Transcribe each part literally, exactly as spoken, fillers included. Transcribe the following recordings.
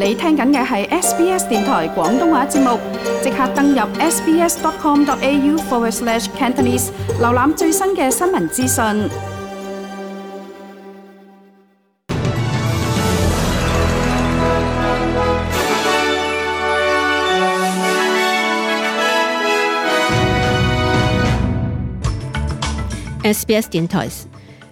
你聽緊嘅係 S B S 電台廣東話節目，即刻登入 sbs.com.au forward slash Cantonese， 瀏覽最新嘅新聞資訊。S B S 電台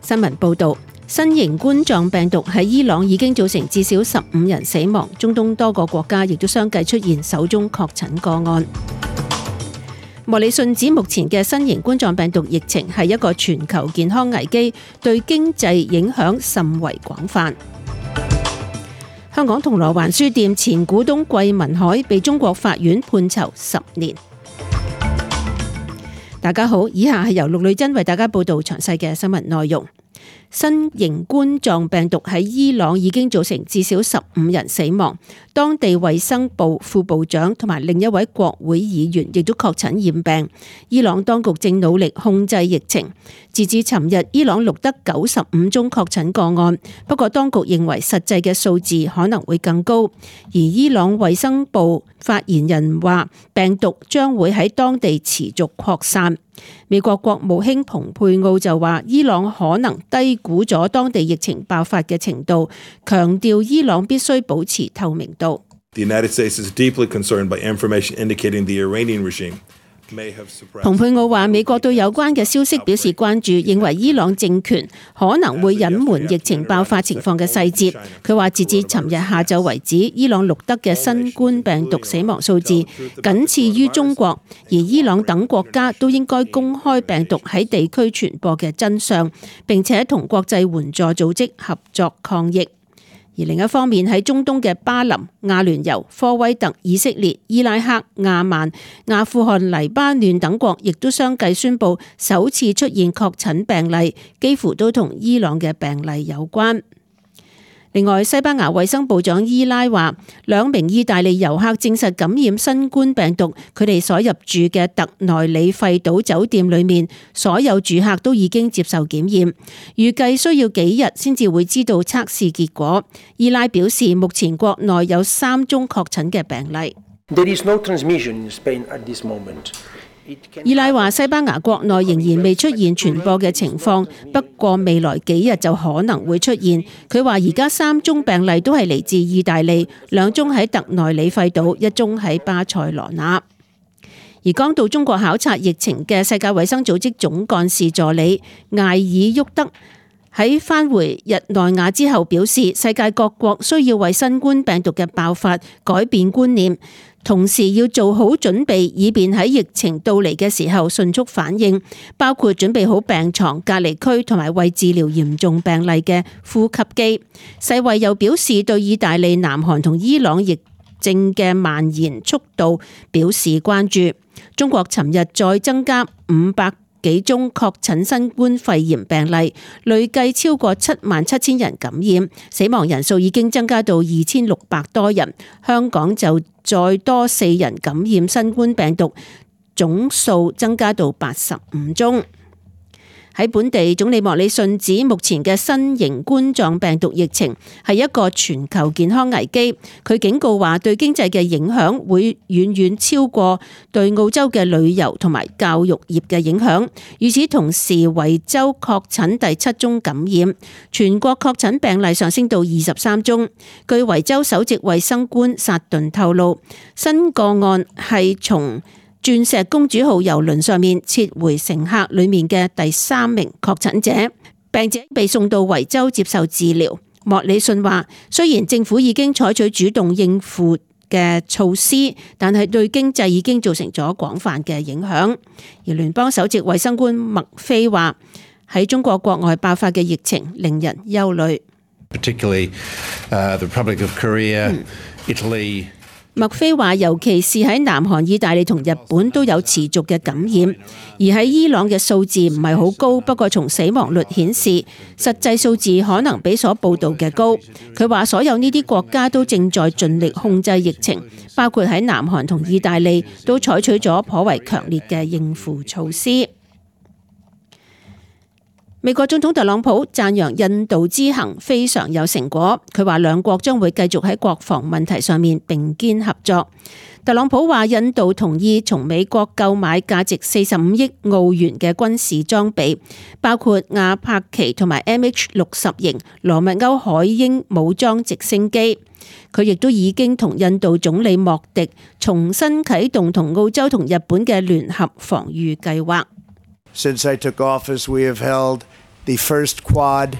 新聞報道，新型冠狀病毒喺伊朗已經造成至少十五人死亡，中東多個國家亦都相繼出現首宗確診個案。莫里遜指目前嘅新型冠狀病毒疫情係一個全球健康危機，對經濟影響甚為廣泛。香港銅鑼灣書店前股東桂民海被中國法院判囚十年。大家好，以下係由陸女真為大家報道詳細嘅新聞內容。新型冠狀病毒喺伊朗已經造成至少十五人死亡，當地衛生部副部長同埋另一位國會議員亦都確診染病。伊朗當局正努力控制疫情。截至尋日，伊朗錄得九十五宗確診個案，不過當局認為實際嘅數字可能會更高。而伊朗衛生部發言人話，病毒將會喺當地持續擴散。美國國務卿蓬佩奧就話，伊朗可能低估咗當地疫情爆發嘅程度，強調伊朗必須保持透明度。The United States is deeply concerned by information indicating the Iranian regime may have suppressed. 蓬佩奧話，美國對有關嘅消息表示關注，認為伊朗政權可能會隱瞞疫情爆發情況嘅細節。佢話，截至尋日下晝為止，伊朗錄得嘅新冠病毒死亡數字僅次於中國，而伊朗等國家都應該公開病毒喺地區傳播嘅真相，並且同國際援助組織合作抗疫。而另一方面，喺中東嘅巴林、阿聯酋、科威特、以色列、伊拉克、亞曼、阿富汗、黎巴嫩等國亦都相繼宣布首次出現確診病例，幾乎都同伊朗嘅病例有關。另外，西班牙衛生部長伊拉話，兩名意大利遊客證實感染新冠病毒，佢哋所入住嘅特內里費島酒店裏面，所有住客都已經接受檢驗，預計需要幾日先至會知道測試結果。伊拉表示，目前國內有三宗確診嘅病例。There is no transmission in Spain at this moment. 伊拉話，西班牙國內仍然未出現傳播嘅情況，不過未來幾日就可能會出現。佢話而家三宗病例都係嚟自意大利，兩宗喺特內里費島，一宗喺巴塞羅那。而剛到中國考察疫情嘅世界衛生組織總幹事助理艾爾沃德喺返回日內瓦之後表示，世界各國需要為新冠病毒嘅爆發改變觀念，同時要做好準備，以便喺疫情到嚟嘅時候迅速反應，包括準備好病床、隔離區同埋為治療嚴重病例嘅呼吸機。世衛又表示對意大利、南韓同伊朗疫症嘅蔓延速度表示關注。中國尋日再增加五百幾宗確診新冠肺炎病例，累計超過七萬七千人感染，死亡人數已經增加到二千六百多人。香港就再多四人感染新冠病毒，總數增加到八十五宗。喺本地，總理莫里遜指目前嘅新型冠狀病毒疫情係一個全球健康危機。佢警告話，對經濟嘅影響會遠遠超過對澳洲嘅旅遊同埋教育業嘅影響。與此同時，維州確診第七宗感染，全國確診病例上升到二十三宗。據維州首席衛生官薩頓透露，新個案係從鑽石公主號郵輪上面撤回乘客裏面嘅第三名確診者，病者被送到維州接受治療。莫里遜話，雖然政府已經採取主動應付嘅措施，但係對經濟已經造成咗廣泛嘅影響。而聯邦首席衛生官麥菲話，喺中國國外爆發嘅疫情令人憂慮。Particularly, uh, the Republic of Korea, Italy. 麥菲話，尤其是喺南韓、意大利同日本都有持續嘅感染，而喺伊朗嘅數字唔係好高，不過從死亡率顯示，實際數字可能比所報道嘅高。佢話所有呢啲國家都正在盡力控制疫情，包括喺南韓同意大利都採取咗頗為強烈嘅應付措施。美國總統特朗普讚揚印度之行非常有成果，佢話兩國將會繼續喺國防問題上面並肩合作。特朗普話印度同意從美國購買價值四十五億澳元嘅軍事裝備，包括亞柏奇同埋 M H 六十型羅密歐海鷹武裝直升機。佢亦都已經同印度總理莫迪重新啟動同澳洲同日本嘅聯合防禦計劃。Since I took office, we have held the first Quad。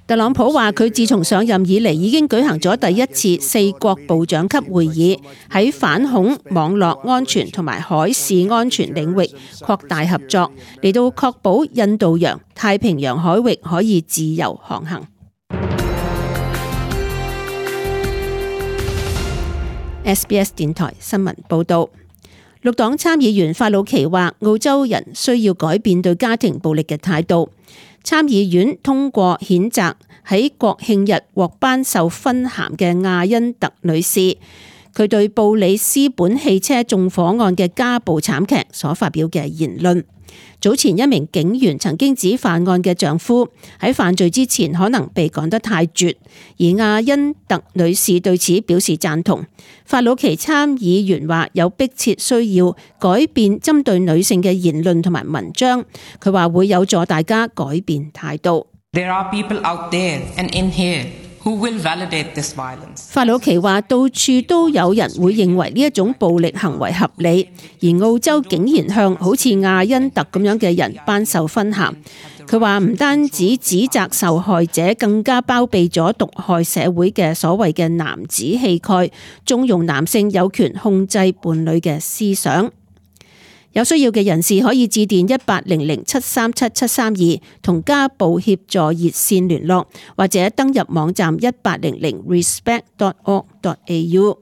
特朗普話佢自從上任以嚟已經舉行咗第一次四國部長級會議，喺反恐、網絡安全同埋海事安全領域擴大合作，嚟到確保印度洋、太平洋海域可以自由航行。S B S 電台新聞報道。綠黨參議員法魯奇話澳洲人需要改變對家庭暴力嘅態度。參議院通過譴責喺國慶日獲頒授勳銜嘅亞恩特女士，佢對布里斯本汽車縱火案嘅家暴慘劇所發表嘅言論。早前一名警員曾經指犯案嘅丈夫喺犯罪之前可能被趕得太絕，而亞恩特女士對此表示贊同。法魯奇參議員話有迫切需要改變針對女性嘅言論同埋文章，佢話會有助大家改變態度。There are people out there and in here who will validate this violence. 法魯奇話到處都有人會認為呢一種暴力行為合理，而澳洲竟然向好似亞恩特咁樣嘅人頒授勳銜。佢話唔單止指責受害者，更加包庇咗毒害社會嘅所謂嘅男子氣概，縱容男性有權控制伴侶嘅思想。有需要嘅人士可以致電一八零零七三七七三二同家暴協助熱線聯絡，或者登入網站一八零零 respect dot org dot a u。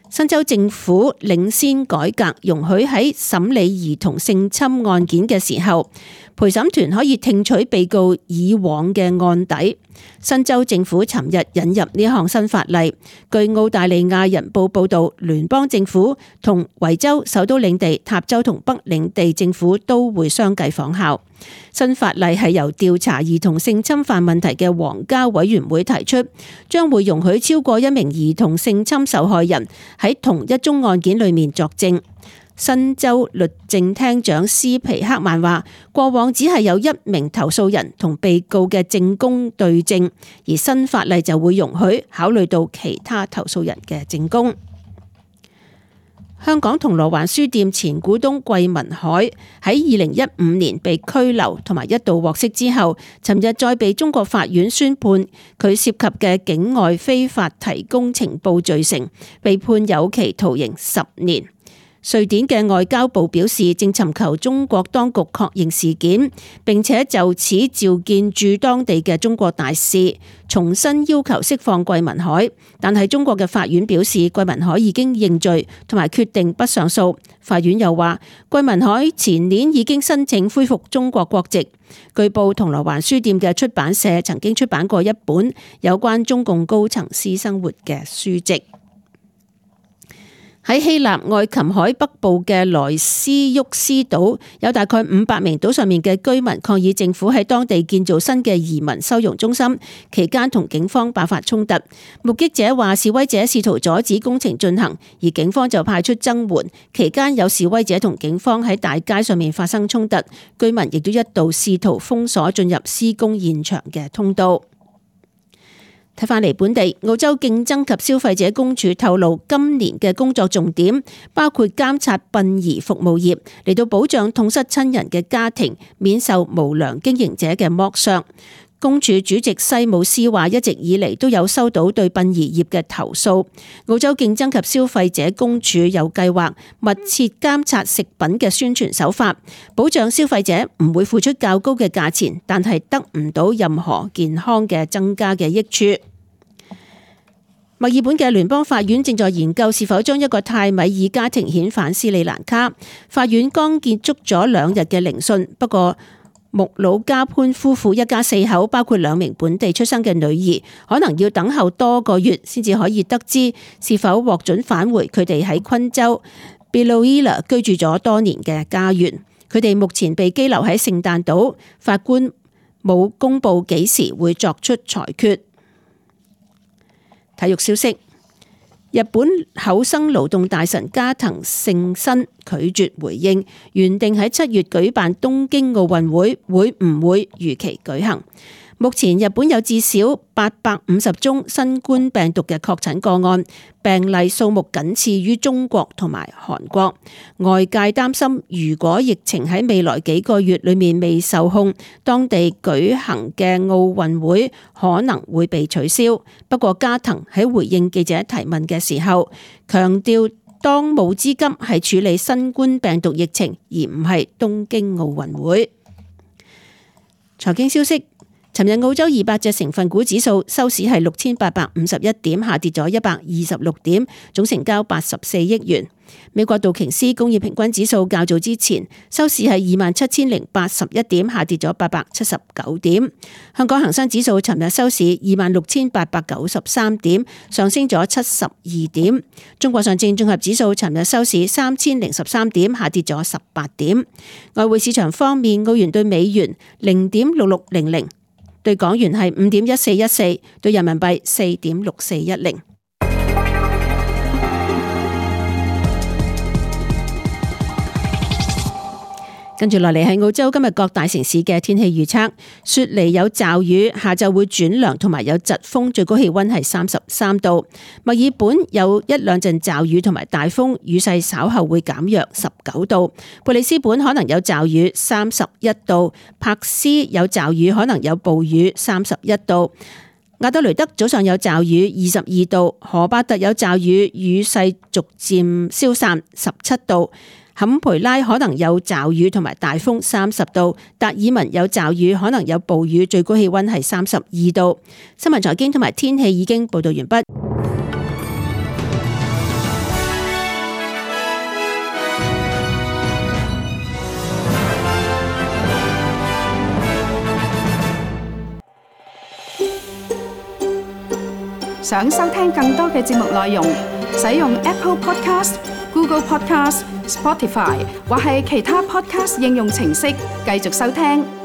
新州政府領先改革，容許喺審理兒童性侵案件嘅時候，陪審團可以聽取被告以往嘅案底。新州政府尋日引入呢項新法例。據澳大利亞人報報道，聯邦政府同維州首都領地、塔州同北領地政府都會相繼仿效。新法例係由調查兒童性侵犯問題嘅皇家委員會提出，將會容許超過一名兒童性侵受害人喺同一宗案件裏面作證。新州律政廳長斯皮克曼話，過往只係有一名投訴人同被告嘅證供對證，而新法例就會容許考慮到其他投訴人嘅證供。香港銅鑼灣書店前股東桂民海喺二零一五年被拘留同埋一度獲釋之後，尋日再被中國法院宣判佢涉及嘅境外非法提供情報罪成，被判有期徒刑十年。瑞典嘅外交部表示，正尋求中國當局確認事件，並且就此召見駐當地嘅中國大使，重新要求釋放桂民海。但係中國嘅法院表示，桂民海已經認罪，同埋決定不上訴。法院又話，桂民海前年已經申請恢復中國國籍。據報，銅鑼灣書店嘅出版社曾經出版過一本有關中共高層私生活嘅書籍。喺希臘愛琴海北部嘅萊斯沃斯島，有大概五百名島上面嘅居民抗議政府喺當地建造新嘅移民收容中心，期間同警方爆發衝突。目擊者話，示威者試圖阻止工程進行，而警方就派出增援。期間有示威者同警方喺大街上面發生衝突，居民亦都一度試圖封鎖進入施工現場嘅通道。睇返嚟本地，澳洲競爭及消費者公署透露，今年嘅工作重點包括監察殯儀服務業，嚟到保障痛失親人嘅家庭免受無良經營者嘅剝削。公署主席西姆斯話，一直以嚟都有收到對殯儀業嘅投訴。澳洲競爭及消費者公署有計劃密切監察食品嘅宣傳手法，保障消費者唔會付出較高嘅價錢，但係得唔到任何健康嘅增加嘅益處。墨爾本嘅聯邦法院正在研究是否將一個泰米爾家庭遣返斯里蘭卡。法院剛結束咗兩日嘅聆訊，不過穆魯加潘夫婦一家四口，包括兩名本地出生嘅女兒，可能要等候多個月先至可以得知是否獲准返回佢哋喺昆州 Biloela 居住咗多年嘅家園。佢哋目前被羈留喺聖誕島，法官冇公布幾時會作出裁決。體育消息。日本厚生勞動大臣加藤勝新拒絕回應原定喺七月舉辦東京奧運會會唔會如期舉行。目前日本有至少八百五十宗新冠病毒嘅確診個案，病例數目僅次於中國同埋韓國。外界擔心，如果疫情喺未來幾個月裏面未受控，當地舉行嘅奧運會可能會被取消。不過加藤喺回應記者提問嘅時候，強調當務之急係處理新冠病毒疫情，而唔係東京奧運會。財經消息。尋日澳洲二百隻成分股指數收市係六千八百五十一點，下跌咗一百二十六點，總成交八十四億元。美國道瓊斯工業平均指數較早之前收市係二萬七千零八十一點，下跌咗八百七十九點。香港恒生指數尋日收市二萬六千八百九十三點，上升咗七十二點。中國上證綜合指數尋日收市三千零十三點，下跌咗十八點。外匯市場方面，澳元對美元零點六六零零。對港元係五點一四一四，對人民幣四點六四一零。跟住落嚟係澳洲今日各大城市嘅天氣預測：雪梨有驟雨，下晝會轉涼，同埋有疾風，最高氣溫係三十三度。墨爾本有一兩陣驟雨同埋大風，雨勢稍後會減弱，十九度。布里斯本可能有驟雨，三十一度。柏斯有驟雨，可能有暴雨，三十一度。亞德雷德早上有驟雨，二十二度。荷巴特有驟雨，雨勢逐漸消散，十七度。坎培拉可能有驟雨同埋大風，三十度。達爾文有驟雨，可能有暴雨，最高氣溫係三十二度。新聞財經同埋天氣已經報道完畢。想收聽更多嘅節目內容，使用 Apple Podcast、Google Podcast、Spotify 或係其他 Podcast 應用程式繼續收聽。